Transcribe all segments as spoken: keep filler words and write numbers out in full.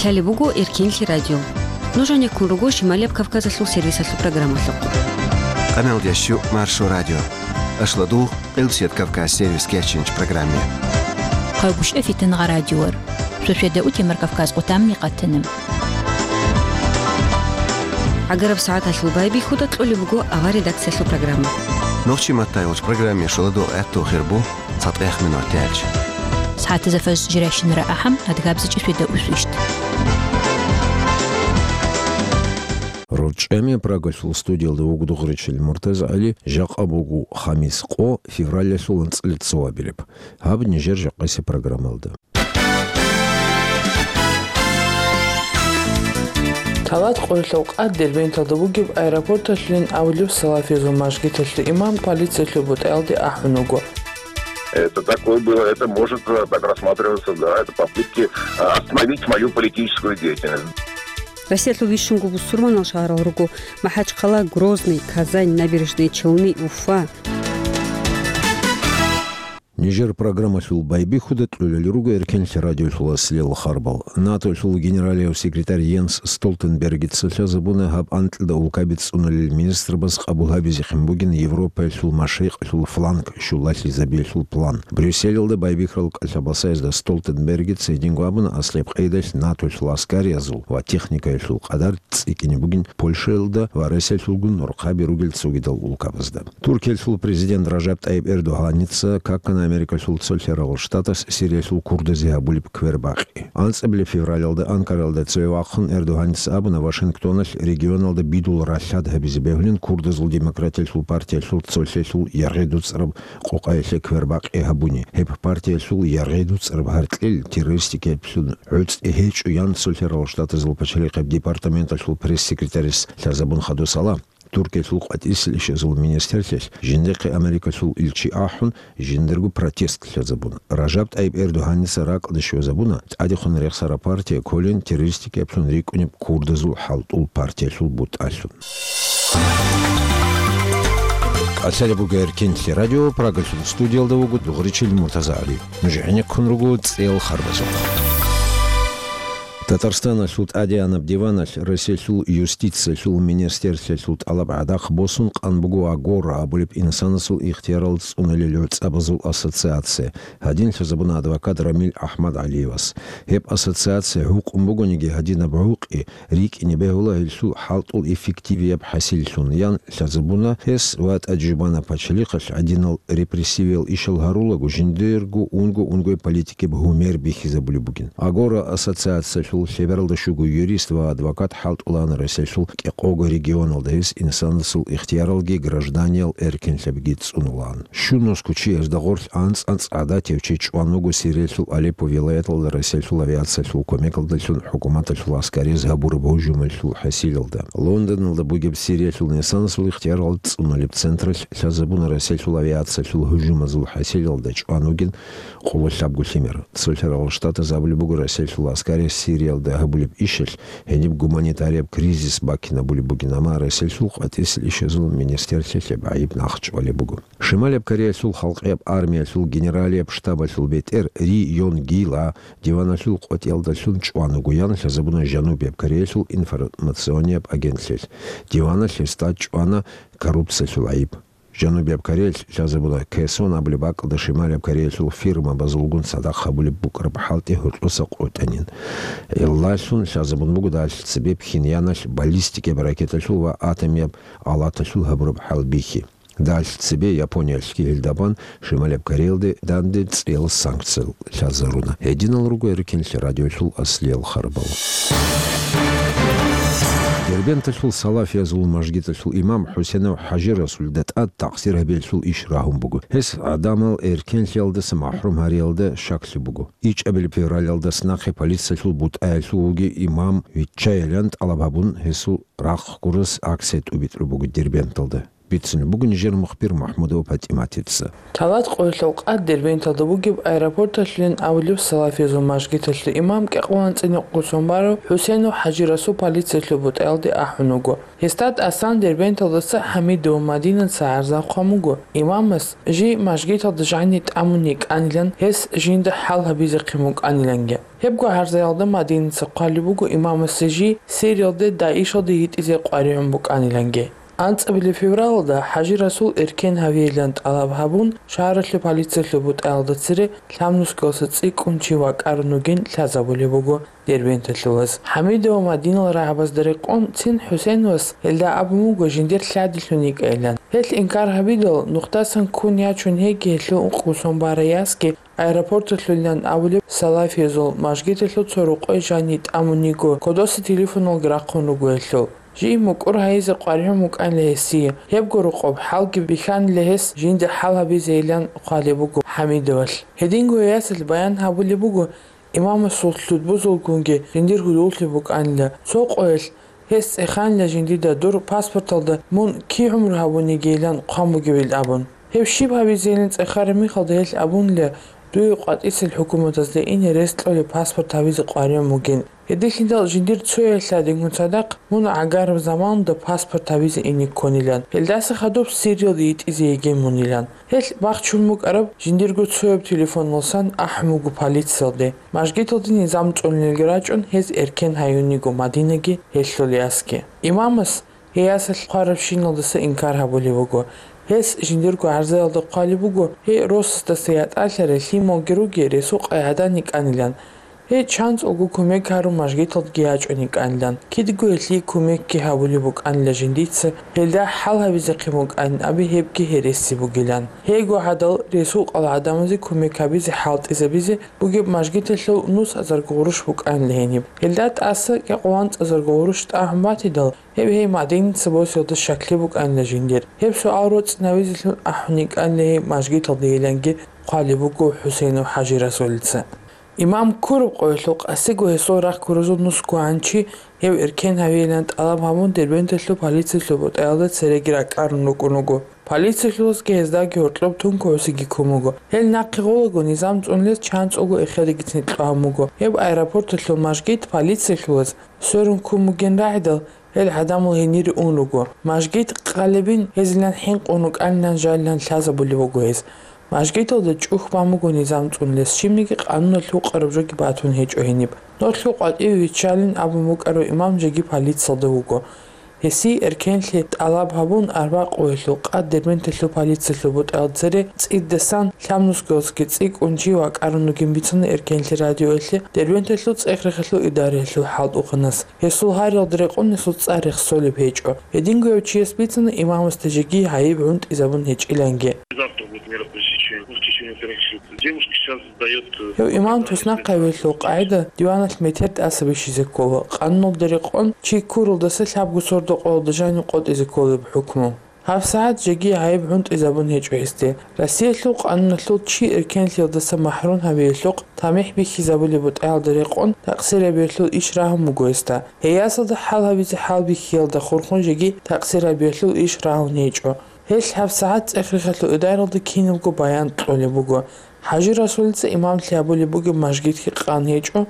Лъалеб буго Эркенлъи радио. Нуж гӀенеккун руго Шималияб Кавказалъул сервисалъул программалъухъ. Къамел дящу Маршо радио. Ашладу Къилсият Кавказ сервис кечинч программе. Хъагушев Фитангъа радиор. Шошеда утемар Кавказ къутамни къатана. ГӀагараб сагӀаталъул байбихьуда кьолеб буго авар редакциялъул программа. Нохчи маттайолч программе шоладо гӀатту хирбу цатӀех минут тяч. СагӀатаза фаз жирайщинара ахӀам адгабзичӀи шведа усвищт. РорчӀами Прагалъул студиялда вугу дугъричил Муртаза ГӀали, жакъа бугу хамис къо, февралялъул анцӀила цо абилеб. Гьаб нижер жакъаси программалда. Талат къоялъул къад Дербенталда бугеб аэропорталъулин абулеб салафизул мажгиталъул имам полициялъул бутӀаялде ахӀун вуго. Это такое было, это может, э, так рассматриваться, да, это попытки, э, остановить мою политическую деятельность. Россиялъул вищунго бусурманал шагьарал руго: МахӀачхъала, Грозный, Казань, Набережные Челны, Уфа. Нижер программалъул байбихьуда кьолел руго Эркенлъи радиолъул аслиялъул харбал. НАТОлъул генералияв секретарь Йенс Столтенбергица лъазабуна гьаб анкьида улкаби цӀуналел министрбаз къабул гьабизехъин бугин Европаялъул машрикъалъул фланг щулалъизабиялъул план. Брюсселалда байбихьарал кӀалъабасаязда Столтенбергица гьединго абуна аслияб къайдалъ НАТОлъул аскариязул ва техникаялъул къадар цӀикӀкӀине бугин Польшаялда ва Россиялъулгун нурхъаби ругел цогидал улкабазда. Туркиялъул президент Ражаб ТӀайиб Эрдогьаница какана Америкалъул цо лъарагъул штатас Сириялъул курдазе гьабулеб квербакъи. АнцӀабилеб февралалда Анкаралда цеве вахъун Эрдогьаница абуна Вашингтоналъ регионалда бидул ралъад гьабизе бегьулин курдазул демократиялъул партиялъул цолъелъул яргъи дуцӀараб къокъаялъе квербакъи гьабуни. Гьеб партиялъул яргъи дуцӀараб гьаркьел террористикаблъун гӀуцӀи гьечӀо, ян цо лъарагъул штатазул пачалихъеб департаменталъул пресс-секретарис лъазабун хадусала. Туркиялъул къватӀисел ишазул министрлъиялъ жиндихъе Америкалъул илчи ахӀун, жиндирго протест лъазабуна. Ражаб ТӀайиб Эрдогьаница ракӀалде щвезабуна тӀадехун рехсараб партия кколин террористикаблъун рикӀкӀунеб курдазул хӀалтӀул партиялъул бутӀалъун. КӀалъалеб буго Эркенлъи радио, Прагалъул студиялда вуго дугъричил Муртаза ГӀали. Нуж гӀенеккун руго цӀел харбазухъ. Татарстаналъул тӀадегӀанаб диваналъ Россиялъул юстициялъул министрлъиялъул тӀалаб гӀадахъ босун къан буго Агора абулеб инсанасул ихтиярал цӀуналел гӀуцӀабазул ассоциация, гьадин лъазабуна адвокат Рамил АхӀмадгӀалиевас. Гьеб ассоциация гьукъун бугониги гьадинаб гӀукъи рикӀкӀине бегьула гьелъул хӀалтӀул эффективияб хӀасиллъун, ян лъазабуна гьес ва тӀаде жубана пачалихъалъ гьадинал репрессивиял ишал гьарулаго жиндирго унго-унгой политикияб гьумер бихьизабулеб бугин. Агора ассоциациялъул лъебералда щуго юрист ва адвокат хӀалтӀулаан Россиялъул кӀикъого регионалда, гьес инсанасул ихтияралги гражданиял эркенлъабиги цӀунулаан. Щун нусго чиясда гъорлъ анцӀ-анцӀ гӀадатив чи чӀван вуго Сириялъул Алеппо вилаяталда Россиялъул авиациялъул кумекалдалъун хӀукуматалъул аскарияз гьабураб гьужумалъул хӀасилалда. Лондоналда бугеб Сириялъул инсанасул ихтиярал цӀуналеб централъ лъазабуна Россиялъул авиациялъул гьужумазул хӀасилалда чӀван вугин къоло лъабго лъимер. Цо лъарагъул штатаз абулеб буго Россиялъул аскарияс Сириялда гьабулеб ишалъ гьениб гуманитарияб кризис бакинабулеб бугин, амма Россиялъул къватӀисел ишазул министрлъиялъ гьеб гӀайиб нахъчӀвалеб буго. Шималияб Кореялъул халкъияб армиялъул генералияб штабалъул бетӀер Ри Йонг Гила диваналъул къватӀиялдалъун чӀван вуго, ян лъазабуна Жанубияб Кореялъул информационияб агентлъиялъ. Диваналъ гьесда чӀвана коррупциялъул гӀайиб. Жанубияб Кореялъ лъазабуна Кэсон абулеб бакӀалда Шималияб Кореялъул фирмабазулгун цадахъ гьабулеб букӀараб хӀалтӀи гьоркьоса къотӀанин. Гьелдалъун лъазабун буго далъ цебе Пхеньяналъ баллистикияб ракеталъул ва атомияб алаталъул гьабураб хӀалбихьи. Далъ цебе Япониялъги гьелда бан Шималияб Кореялде данде цӀиял санкциял лъазаруна. Гьединал руго Эркенлъи радиолъул аслиял харбал. Дербенталъул салафиязул мажгиталъул имам ХӀусенов ХӀажи Расулида тӀад такъсир гьабиялъул иш рагьун буго. Гьес гӀадамал эркенлъиялдаса махӀрум гьариялда щаклъи буго. ИчӀабилеб февралалдаса нахъе полициялъул бутӀаялъув вугев имам виччайилан тӀалаб гьабун, гьесул рахъ гурас акция тӀубитӀулеб буго Дербенталда. Бицунеб буго нижер мухбир МухӀмудова ПатӀиматица. Лъабкъоялъул къад Дербенталда бугеб аэропорталъулин абулеб салафизул мажгиталъул имам кӀикъоялда анцӀила нухда сон барав ХӀусейнов ХӀажи-Расул полициялъул бутӀаялде ахӀун вуго. Гьесда тӀасан Дербенталдаса ХӀамидова Мадинаца гӀарза хъван буго, имамас жий мажгиталда жаниб тӀамун йикӀанилан, гьес жинда хӀал гьабизехъин букӀаниланги. Гьебго гӀарзаялда Мадинаца хъвалеб буго имамасе жий Сириялде ДАИШалде йитӀизе къваригӀун букӀаниланги. АнцӀабилеб февралалда ХӀажи-Расул эркен гьавейилан тӀалаб гьабун, шагьаралъул полициялъул бутӀаялда цере лъабнусгоялдаса цӀикӀкӀун чи вакӀарун вугин лъазабулеб буго дербенталъулаз. ХӀамидова Мадинал рагӀабазда рекъон цин ХӀусейновас гьелда абун буго жиндир лъадилъун йикӀайилан. Гьелъ инкар гьабидал, нухдасан ккун ячун гьеги гьелъул ункъго сон барай ясги аэропорталъулилан абулеб салафиязул мажгиталъул цо рокъой жаниб тӀамун йиго, кодоса телефоналги рахъун руго гьелъул. Жий мукӀур гьайизе къваригӀун букӀанила гьесие, гьебго рокъоб хӀалги бихьанила гьес жинда хӀал гьабизейилан хъвалеб буго ХӀамидовалъ. Гьединго ясалъ баян гьабулеб буго, имамасул лъудбузулгунги жиндир гьудуллъи букӀанила, цо къоялъ гьес цӀеханила жиндида дур паспорталда мун кигӀумру гьабун йигейилан хъван бугебилан абун. Гьеб щиб гьабизейилан цӀехараб мехалда гьелъ абунила, дуе къватӀисел хӀукуматазда ине рес кьолеб паспорт гьабизе къваригӀун бугин. Гьединлъидал жиндир цояй лъадингун цадахъ мун гӀагараб заманалда паспорт гьабизе ине ккунилан. Гьелдаса хадуб Сириялде йитӀизе йигей мунилан. Гьелъ бахчун букӀараб жиндирго цояб телефоналдасан ахӀун буго полициялде. Мажгиталде низам цӀунулелги рачӀун, гьез эркен гьаюн йиго Мадинаги гьелъул ясги. Имамас гьей ясалъ хъварабщиналдаса инкар гьабулеб буго. Гьес жиндирго гӀарзаялда хъвалеб буго, гьей росасдаса ятӀалъарай лъималги ругей ресукъай гӀадан йикӀанилан. Гьей чанцӀулго кумек гьарун мажгиталдеги ячӀун йикӀанилан. Кидго гьелъие кумекги гьабулеб букӀанила жиндица, гьелда хӀал гьабизехъин букӀанин абе гьебги гьереси бугилан. Гьейго гӀадал ресукъал гӀадамазе кумек гьабизе хӀалтӀизабизе бугеб мажгиталъул нусазарго гъурущ букӀанила гьениб. Гьелда тӀаса кӀикъоялда анцӀазарго гъурущ тӀагӀун батидал, гьеб гьей Мадинаца босиялда щаклъи букӀанила жиндир. Гьеб суал роцӀцӀинавизелъун ахӀун йикӀанила гьей мажгиталдейиланги хъвалеб буго ХӀусейнов ХӀажи-Расулица. Имам ккураб къоялъул къасиго гьесул рахъ ккуразул нусго гӀанчи гьев эркен гьавейилан тӀалаб гьабун, Дербенталъул полициялъул бутӀаялда цереги ракӀарун рукӀун вуго. Полициялъулазги гьездаги гьоркьоб тункугӀусиги ккун буго. Гьел нахъе гъолаго низам цӀунулез чанцӀулго эхедагицин кьван буго. Гьеб аэропорталъул мажгит полициялъулаз сверун ккун бугин рагӀидал, гьел гӀадамал гьенире ун руго. Мажгит къалебин гьезилан хӀинкъун рукӀанилан жалилан лъазабулеб буго гьез. Мажгиталда чӀухь бан буго низам цӀунулес, щибниги къануналъ гьукъараб жоги батун гьечӀо гьениб. Нолъго къватӀиве виччалин абун букӀарав имам жеги полициялда вуго. Гьесие эркенлъи тӀалаб гьабун, арбакъуялъул къад Дербенталъул полициялъул бутӀал цере цӀидасан лъабнусгоялдасаги цӀикӀкӀун чи вакӀарун вугин бицана эркенлъи радиоялъе Дербенталъул цӀех-рехалъул идараялъул хӀалтӀухъанас. Гьесул гьариялда рекъон гьесул цӀар рехсолеб гьечӀо. Гьединго гьев чияс бицана имамасда жеги гӀайиб гӀунтӀизабун гьечӀиланги. Завтра будет мероприятие в течение трех часов. Девушка сейчас сдаёт, э... Гьев имам туснахъ гьавиялъул къагӀида диваналъ метер тӀаса бихьизе ккола, къануналда рекъон чи ккуралдаса лъабго сордо къоялда жанив къотӀизе кколеб хӀукму. ГьабсагӀат жеги гӀайиб гӀунтӀизабун гьечӀо гьесде. Россиялъул къануналъул чи эркенлъиялдаса махӀрум гьавиялъухъ тамихӀ бихьизабулеб бутӀаялда рекъон такъсирабиялъул иш рагьун буго гьесда. Гьей ясалда хӀал гьабизе хӀалбихьиялда хурхун жеги такъсирабиялъул иш рагьун гьечӀо. Гьелъ гьабсагӀат цӀех-рехалъул идараялда кинабго баян кьолеб буго. ХӀажи-Расулица имамлъи гьабулеб бугеб мажгитги къан гьечӀо,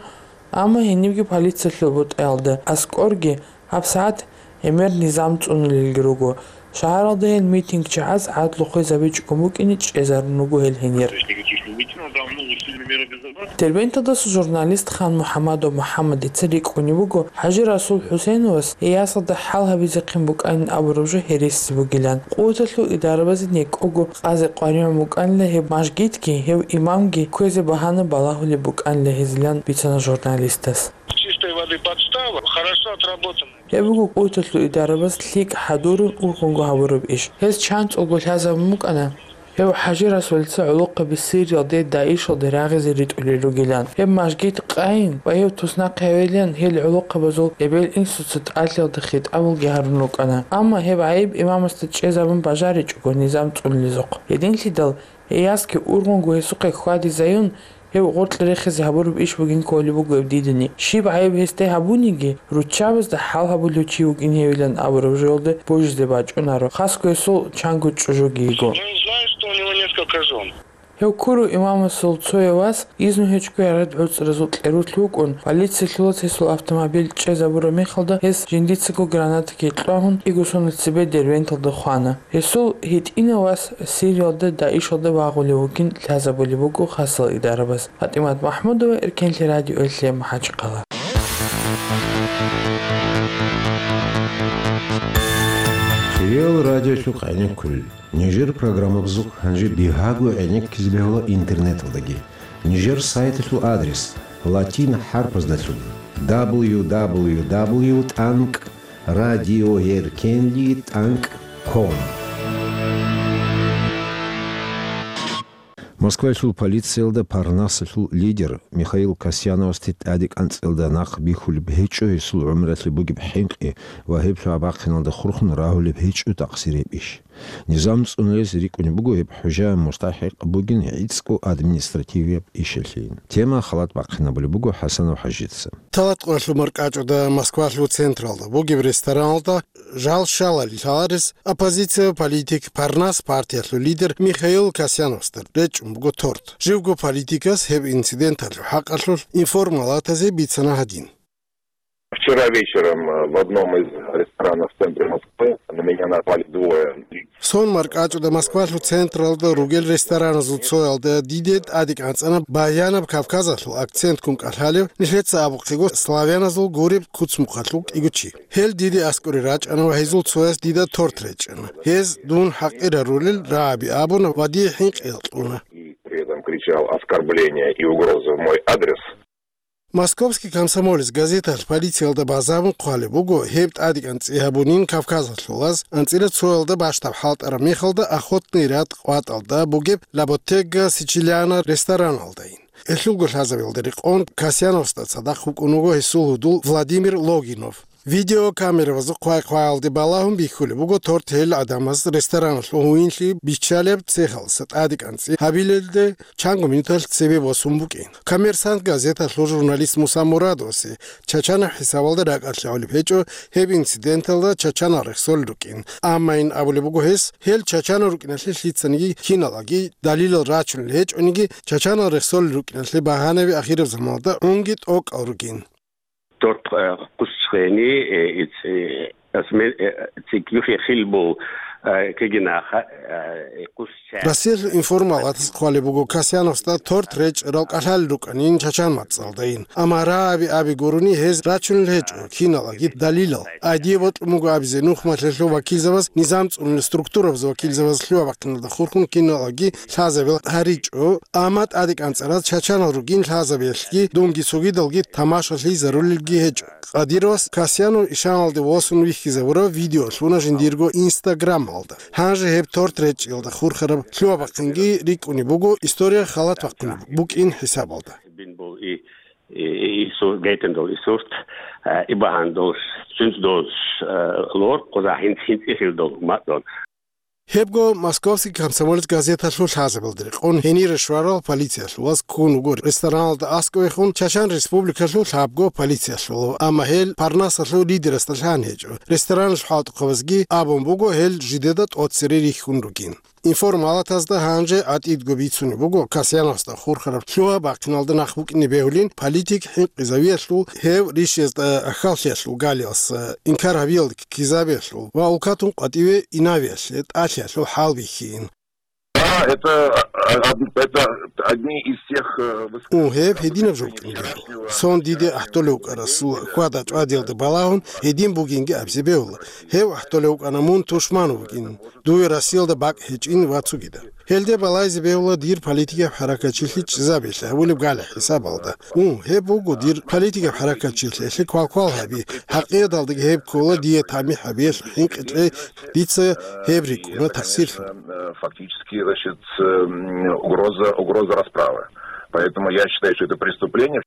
амма гьенибги полициялъул бутӀаялда аскӀорги гьабсагӀат гӀемер низам цӀунулелги руго. Шагьаралда гьел митинг чагӀаз гӀадлу хвезабичӀого букӀине чӀезарун руго гьел гьенир. Дербенталдаса журналист Хан МухӀамадов МухӀаммадица рикӀкӀунеб буго, ХӀажи-Расул ХӀусейновас гьей ясалда хӀал гьабизехъин букӀанин абураб жо гьереси бугилан. Къуваталъул идарабазе некӀого къазе къваригӀун букӀанила гьеб мажгитги, гьев имамги кквезе багьана балагьулеб букӀанила гьезилан бицана журналистас. Чистой воды подстава, хорошо отработанная. Гьеб буго къуваталъул идарабаз лъикӀ хӀадурун ургъунго гьабураб иш. Гьез чанцӀулго лъазабун букӀана гьев ХӀажи-Расулица гӀолохъаби Сириялде ДАИШалде рагъизе ритӀулел ругилан. Гьеб мажгит къайин ва гьев туснахъ гьавилан гьел гӀолохъабазул эбел-инсуца тӀалъиялда хитӀабалги гьарун рукӀана. Амма гьеб гӀайиб имамасда чӀезабун бажаричӀого низам цӀунулезухъ. Гьединлъидал гьей ясги ургъунго гьесухъе хьвадизаюн, Гьев гъоркье рехизе гьабураб иш бугин кколеб буго гьеб дидани. Щиб гӀайиб гьесде гьабуниги, руччабазда хӀал гьабулев чи вукӀин гьевилан абураб жоялде божизе бачӀунаро, хасго гьесул чанго чӀужуги йиго. Я не знаю, что у него несколько жен. Гьев ккурав имамасул цояв вас изну гьечӀого гьарад гӀуцӀразул кьерулъ вукӀун, полициялъулаз гьесул автомобиль чӀезабураб мехалда гьес жиндицаго гранатаги кьвагьун, кӀиго соналъ цебе Дербенталда хвана. Гьесул гьитӀинав вас Сириялда ДАИШалда вагъулев вугин лъазабулеб буго хасал идарабаз. ПатӀимат МахӀмудова, Эркенлъи радиоялъе, МахӀачхъала. Кьел радиолъухъ гӀенеккулел. Нижер программабазухъ гьанже бигьаго гӀенеккизе бегьула интернеталдаги. Нижер сайталъул адрес латин хӀарпаздалъун: дабл ю дабл ю дабл ю тӀанкӀ радиоеркенли тӀанкӀ ком. Москваялъул полициялда Парнасалъул лидер Михаил Касьяновасде тӀаде кӀанцӀиялда нахъ бихьулеб гьечӀо гьесул гӀумралъе бугеб хӀинкъи ва гьеб лъугьа-бахъиналда хурхун рагьулеб гьечӀо такъсир гьеб иш. Низам цӀунулес рикӀкӀунеб буго гьеб хӀужа мустахӀикъ бугин гӀицӀго административияб ишалъейин. Тема халат бахъинабулеб буго ХӀасанов ХӀажица. Талат къоялъул маркӀачӀуда Москвалъул централда бугеб рестораналда жал щалали лъаларес оппозиция политик Парнас партиялъул лидер Михаил Касьяновасда речӀчӀун буго торт. Живго политикас гьеб инциденталъул хӀакъалъулъ информалатазе бицана гьадин. Вчера вечером, э, в одном из ресторанов в центре Москвы на меня напали двое. Сон маркӀачӀуда Москвалъул централда ругел рестораназул цоялда диде тӀаде кӀанцӀана баянаб Кавказалъул акцентккун кӀалъалев, нилъеца абухъего, славяназул гуреб куцмухъалъул кӀиго чи. Гьел диде аскӀоре рачӀана ва гьезул цояс дида торт речӀчӀана. Гьез дун хӀакъир гьарулел рагӀаби абуна ва дие хӀинкъи кьуна. И при этом кричал оскорбления и угрозы в мой адрес. Московский комсомолец газеталъ полициялда базарун хъвалеб буго, гьеб тӀаде кӀанцӀи гьабунин Кавказалъулаз, анцӀила цоялда бащдаб хӀалтӀараб мехалда Охотный ряд къватӀалда бугеб Ла Боттега Сичилиана рестораналдайин. Гьелъулго лъазабиялда рекъон Касьяновасда цадахъ вукӀун вуго гьесул гьудул Владимир Логинов. Видеокамерабазул хъвай-хъваялде балагьун бихьулеб буго торт гьел гӀадамаз рестораналъул гьуинлъи биччалеб цехалъа тӀаде кӀанцӀи гьабилелде чанго минуталъ цебе босун букӀин. «Коммерсант» газеталъул журналист Муса Мурадовасе чачанаб хӀисабалда ракӀалъ гьавулеб гьечӀо гьеб инциденталда чачанал рехсолел рукӀин. Амма ин абулеб буго гьес, гьел чачанал рукӀиналъе лъицаниги киналаги далилал рачунел гьечӀониги, чачанал рехсолел рукӀиналъе багьанаби ахираб заманалда гӀунги тӀокӀал ругин. Dort, äh, къусчӀени, э, иц-, э, асме-, э, цикӀ юхье хил бул, э, кегинаха, э, къусчӀа. Россиялъул информалатас хъвалеб буго Касьяновасда торт речӀчӀарал кӀалъалел рукӀанин чачан мацӀалдайин. Амма рагӀаби аби гурони гьез рачунел гьечӀо киналаги далилал. Гьадие бокьун буго абизе нухмалъулъ вакилзабаз, низам цӀунулел структурабаз вакилзабаз лъугьа-бахъиналда хурхун киналаги лъазабил гьаричӀо, амма тӀаде кӀанцӀараз чачанал ругин лъазабиялъги, дунги цогидалги тамашалъи зарулелги гьечӀо. Къадировас Касьянов ишаналде восун вихьизабураб видео лъуна жиндирго Инстаграмалда. Гьанже гьеб торт речӀчӀиялда хурхараб лъугьа-бахъинги рикӀкӀунеб буго, история халат бахъунеб букӀин хӀисабалда. Бин бул и, и, и, и су-, гайтин дол и сурт, э, и багьан дол, сунс дол, э, лор, къуза хинц-, хинцӀихьил дол, мат дол. Гьебго «Московский комсомолец» газеталъул лъазабилда рекъон гьенире щварал полициялъулаз ккун вуго рестораналда аскӀовехун Чачан Республикалъул лъабго полициялъулав, амма гьел Парнасалъул лидерасда лъан гьечӀо. Рестораналъул хӀалтӀухъабазги абун буго гьел жидеда тӀоцере рихьун ругин. Информалатазда гьанже гӀатӀидго бицунеб буго Касьяновасда хурхараб лъугьа-бахъиналда нахъ букӀине бегьулин политик хӀинкъизавиялъул, гьев ришиязда ахьаллъиялъул галиялъ инкар гьабиялда ккизабиялъул ва улкатун къватӀиве инавиялъе тӀалъиялъул хӀал бихьин. Да, это, а, од-, это одни из тех, э, высказываний. Ун, гьеб гьединаб жо букӀине бегьула. Сон диде гӀахӀдолев вукӀарасул хьвада-чӀвадиялда балагьун гьедин бугинги абизе бегьула. Гьев гӀахӀдолев вукӀана мун тушман вугин, дуе Россиялда бакӀ гьечӀин ва цогидаб. Гьелде балайзе бегьула дир политикаб хӀаракатчилъи чӀезабиялъе гьабулеб гали хӀисабалда. Ун, гьеб буго дир политикаб хӀаракатчилъиялъе квалквал гьаби, хӀакъияталдаги гьеб ккола дие тамихӀ гьабиялъе хӀинкъичӀей, дица гьеб рикӀкӀуна такъсирлъун. Э, фактически, значит, эм, угроза, угроза расправы. Поэтому я считаю, что это преступление.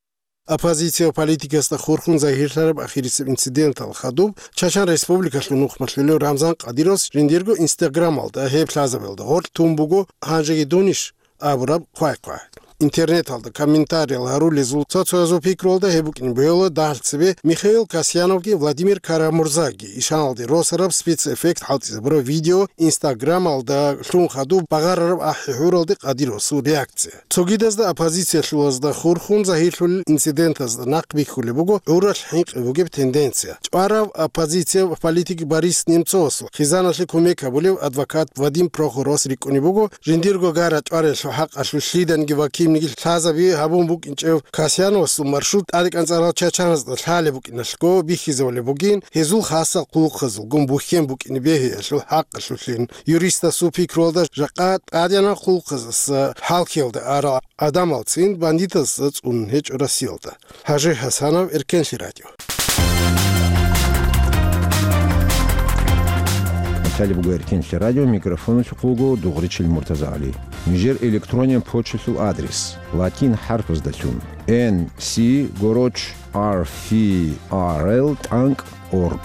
Оппозиция политикасда хурхун загьирлъараб ахирисеб инцидентал хадуб Чачан Республикалъул нухмалъулев Рамзан Къадировас жиндирго Инстаграмалда гьеб лъазабиялда гъоркь тун буго, гьанжеги дунищ абураб хъвай-хъвай. Интернеталда комментариял гьарулезул цо-цоязул пикруялда гьеб букӀин бугила дагьал цебе Михаил Касьяновги Владимир Карамурзаги ишаналде росараб спецэффект хӀалтӀизабураб видео, Инстаграмалда лъун хадуб багъарараб ахӀи-хӀуралде къадир росул реакция. Цогидазда оппозициялъулазда хурхун загьирлъулел инцидентазда нахъ бихьулеб буго гӀуралъ хӀинкъи бугеб тенденция. ЧӀварав оппозиция политик Борис Немцовасул хъизаналъе кумек гьабулев адвокат Вадим Прохоровас рикӀкӀунеб буго, жиндирго гара чӀваралъул хӀакъалъулъ лъиданиги ва кинниги лъазаби гьабун букӀинчӀев Касьяновасул маршрут тӀадекӀанцӀарал чачаназда лъалеб букӀиналъго бихьизабулеб бугин, гьезул хасал хъулухъазулгун бухьен букӀине бегьиялъул хӀакъалъулъин. Юристасул пикруялда, жакъа тӀадегӀанаб хъулухъаздаса хӀалхьиялда арал гӀадамалцин бандитазда цӀунун гьечӀо Россиялда. Гьажи Гьасанов, Эркенлъи радио. Италия буго Эркенлъи радио, микрофоналъухъ вуго Дугъричил МуртазагӀали. Нижер электрониян почталъул адрес: латин хӀарпаздалъун, N C гороч R F R L тӀанкӀ org.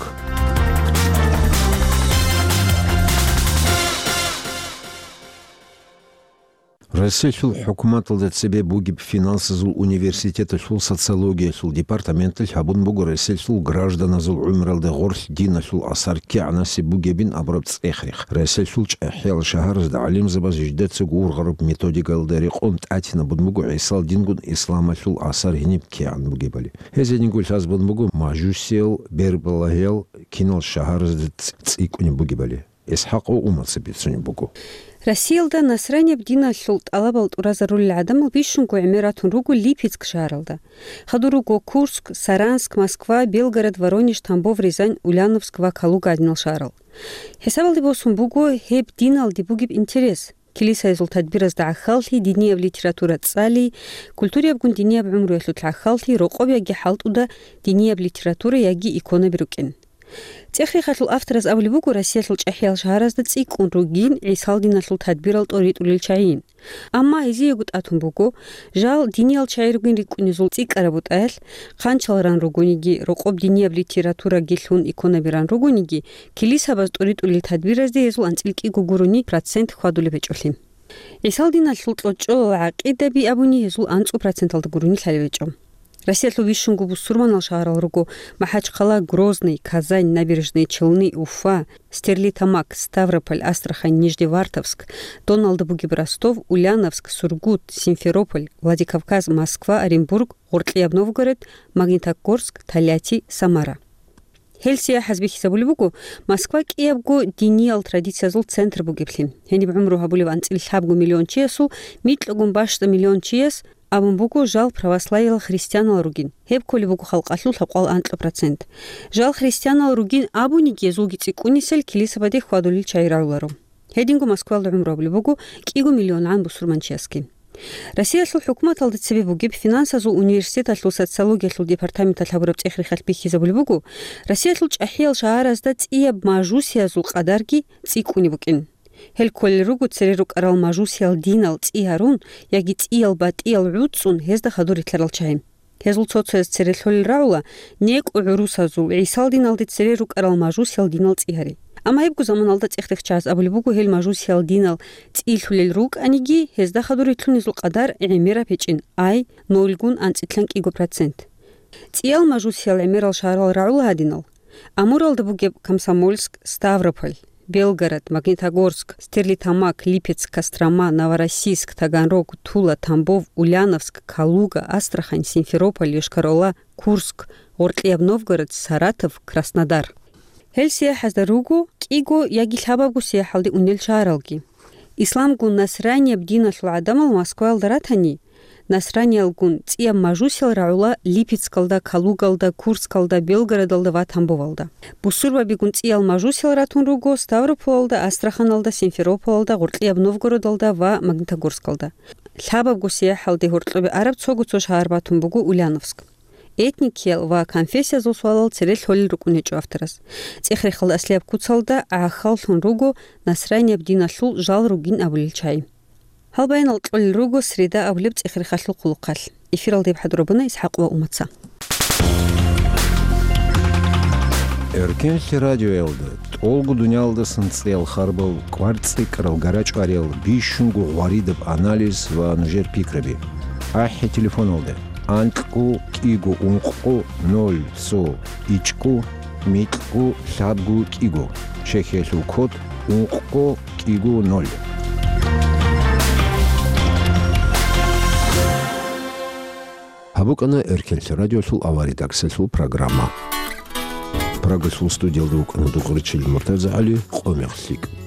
Россиялъул хӀукуматалда цебе бугеб финансазул университеталъул социологиялъул департаменталъ гьабун буго Россиялъул гражданазул гӀумралда гъорлъ диналъул асар кигӀанасеб бугебин абураб цӀех-рех. Россиялъул чӀахӀиял шагьаразда гӀалимзабаз жидецаго ургъараб методикаялда рекъон тӀатинабун буго ГӀисал дингун исламалъул асар гьениб кигӀан бугебали. Гьез гьединго лъазабун буго мажусиял, бербалагьиял кинал шагьаразда цӀ-, цӀикӀкӀунеб бугебали. ИсхӀакъ ва Умаца бицунеб буго. Россиялда насранияб диналъул тӀалабал тӀуразарулел гӀадамал бищунго гӀемер ратун руго Липецк шагьаралда. Хадур руго Курск, Саранск, Москва, Белгород, Воронеж, Тамбов, Рязань, Ульяновск ва Калуга гӀадинал шагьарал. ХӀисабалде босун буго гьеб диналде бугеб интерес. Килисаязул тадбиразда гӀахьаллъи, динияб литература цӀали, культураябгун динияб гӀумруялъулъ гӀахьаллъи, рокъоб яги хӀалтӀуда динияб литература яги иконаби рукӀин. ЦӀех-рехалъул автораз абулеб буго Россиялъул чӀахӀиял шагьаразда цӀикӀкӀун ругин ГӀисал диналъул тадбирал тӀоритӀулел чагӀийин. Амма гьезиего тӀатун буго, жал диниял чагӀи ругин рикӀкӀунезул цӀикӀкӀараб бутӀаялъ, хъанчал ран ругониги, рокъоб динияб литератураги лъун иконаби ран ругониги, килисабаз тӀоритӀулел тадбиразде гьезул анцӀил кӀиго гурони процент хьвадулеб гьечӀолъи. ГӀисал диналъул кьочӀолал гӀакъидаби абуни гьезул анцӀу проценталда гурони лъалеб гьечӀо. Россиялъул бищунго бусурманал шагьарал руго: МахӀачхъала, Грозный, Казань, Набережные Челны, Уфа, Стерлитамак, Ставрополь, Астрахань, Нижневартовск, доналда бугеб Ростов, Ульяновск, Сургут, Симферополь, Владикавказ, Москва, Оренбург, Гъоркьияб Новгород, Магнитогорск, Тольятти, Самара. Гьел сияхӀаз бихьизабулеб буго Москва кӀиябго диниял традициязул центр бугеблъи. Гьениб гӀумру гьабулев анцӀила лъабго миллион чиясул микьагун бащдаб миллион чияс абун буго жал православиял христианал ругин. Гьеб кколеб буго халкъалъул лъабкъоялда анкьа процент. Жал христианал ругин абуниги, гьезулги цӀикӀкӀунисел килисабаде хьвадулел чагӀи рагӀуларо. Гьединго Москваялда гӀумру гьабулеб буго кӀиго миллионгӀан бусурманчиясги. Россиялъул хӀукуматалда цебе бугеб финансазул университеталъул социологиялъул департаменталъ гьабураб цӀех-рехалъ бихьизабулеб буго, Россиялъул чӀахӀиял шагьаразда цӀияб мажусиязул къадарги цӀикӀкӀунеб букӀин. Гьел кколел руго цере рукӀарал мажусиял динал цӀи гьарун яги цӀиял батӀиял гӀуцӀцӀун гьезда хадур рилълъарал чагӀи. Гьезул цо-цояз цере лъолел рагӀула некӀо гӀурусазул, ГӀисал диналде цере рукӀарал мажусиял динал цӀи гьари. Амма гьебго заманалда цӀех-рех чагӀаз абулеб буго гьел мажусиял динал цӀи лъулел рукӀаниги, гьезда хадур рилълъунезул къадар гӀемераб гьечӀин, ай, нольгун анцӀила кӀиго процент. ЦӀиял мажусиял гӀемерал шагьарал рагӀула гьадинал: Амуралда бугеб Комсомольск, Ставрополь, Белгород, Магнитогорск, Стерлитамак, Липецк, Кострома, Новороссийск, Таганрог, Тула, Тамбов, Ульяновск, Калуга, Астрахань, Симферополь, Йошкар-Ола, Курск, Гъоркьияб Новгород, Саратов, Краснодар. Гьел сияхӀазда руго кӀиго яги лъабабго сияхӀалде унел шагьаралги. Исламгун насранияб диналъул гӀадамал Москваялда ратани, насраниялгун цӀияб мажусиял рагӀула Липецкалда, Калугалда, Курскалда, Белгородалда ва Тамбовалда. Бусурбабигун цӀиял мажусиял ратун руго Ставрополалда, Астраханалда, Симферополалда, Гъоркьияб Новгородалда ва Магнитогорскалда. Лъабабго сияхӀалде гьоркьобе араб цого-цо шагьар батун буго Ульяновск. Этникиял ва конфессиязул суалал цере лъолел рукӀун гьечӀо авторас. ЦӀех-рехалда аслияб куцалда гӀахьаллъун руго насранияб диналъул жал ругин абулел чагӀи. Гьал баянал кьолел руго среда абулеб цӀех-рехалъул хъулухъалъ. Эфиралда гьеб хӀадурабуна ИсхӀакъ ва Умаца. Эркенлъи радиоялда тӀолго дуниялдасан цӀеял харбал, кӀвар-цӀикӀкӀарал, гарачӀвариял, бищунго гъваридаб анализ ва нужер пикраби. АхӀи телефоналда: анкьго кӀиго ункъго ноль цо ичӀго микьго лъабго кӀиго, чехьиялъул код ункъго кӀиго ноль. Гьаб букӀана Эркенлъи радиолъул аваридаксалъул программа. Прагалъул студиялда вукӀана Дукъричил МуртазагӀали, Къо-мех лъикӀ.